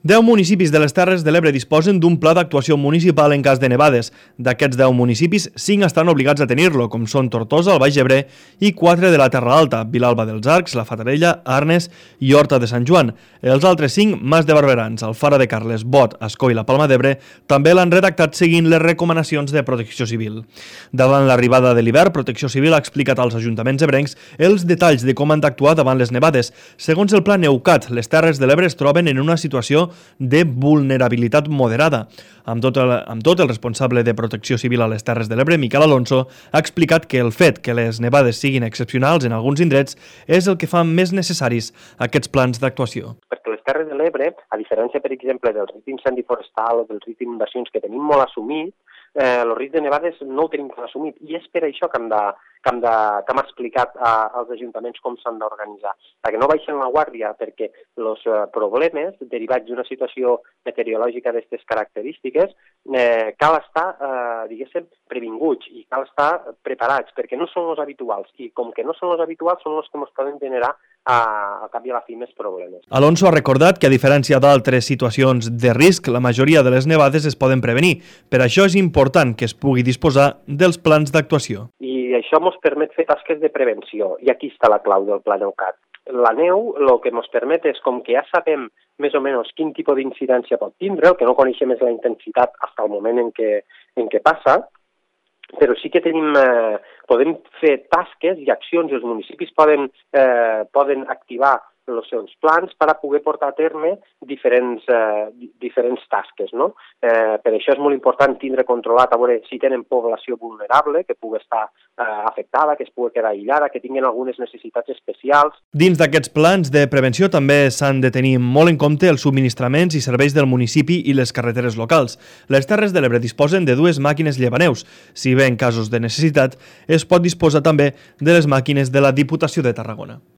10 municipis de les Terres de l'Ebre disposen d'un pla d'actuació municipal en cas de nevades. D'aquests 10 municipis, 5 estan obligats a tenir-lo, com són Tortosa, el Baix Ebre i 4 de la Terra Alta, Vilalba dels Arcs, la Fatarella, Arnes i Horta de Sant Joan. Els altres 5, Mas de Barberans, Alfara de Carles, Bot, Ascó i la Palma d'Ebre, també l'han redactat seguint les recomanacions de Protecció Civil. Davant l'arribada de l'hivern, Protecció Civil ha explicat als ajuntaments ebrencs els detalls de com han d'actuar davant les nevades. Segons el pla Neucat, les Terres de l'Ebre es troben en una situació de vulnerabilitat moderada. Amb tot el responsable de Protecció Civil a les Terres de l'Ebre, Miquel Alonso, ha explicat que el fet que les nevades siguin excepcionals en alguns indrets és el que fa més necessaris aquests plans d'actuació. Perquè les Terres de l'Ebre, a diferència, per exemple, del risc d'incendi forestal o del risc d'inundacions que tenim molt assumit, el risc de nevades no ho tenim tan assumit i és per això que hem explicat als ajuntaments com s'han d'organitzar, perquè no baixen la guàrdia, perquè els problemes derivats d'una situació meteorològica d'aquestes característiques cal estar, diguéssim, previnguts i cal estar preparats, perquè no són els habituals i com que no són els habituals són els que ens poden generar al cap i a la fi més problemes. Alonso ha recordat que a diferència d'altres situacions de risc, la majoria de les nevades es poden prevenir. Per això és important que es pugui disposar dels plans d'actuació. I això ens permet fer tasques de prevenció, i aquí està la clau del Pla Neucat. La neu el que ens permet és, com que ja sabem més o menys quin tipus d'incidència pot tindre, el que no coneixem és la intensitat fins al moment en què passa, però sí que podem fer tasques i accions i els municipis poden activar els seus plans per a poder portar a terme diferents tasques, no? Per això és molt important tindre controlat a veure si tenen població vulnerable, que pugui estar afectada, que es pugui quedar aïllada, que tinguin algunes necessitats especials. Dins d'aquests plans de prevenció també s'han de tenir molt en compte els subministraments i serveis del municipi i les carreteres locals. Les Terres de l'Ebre disposen de 2 màquines llevaneus. Si bé en casos de necessitat, es pot disposar també de les màquines de la Diputació de Tarragona.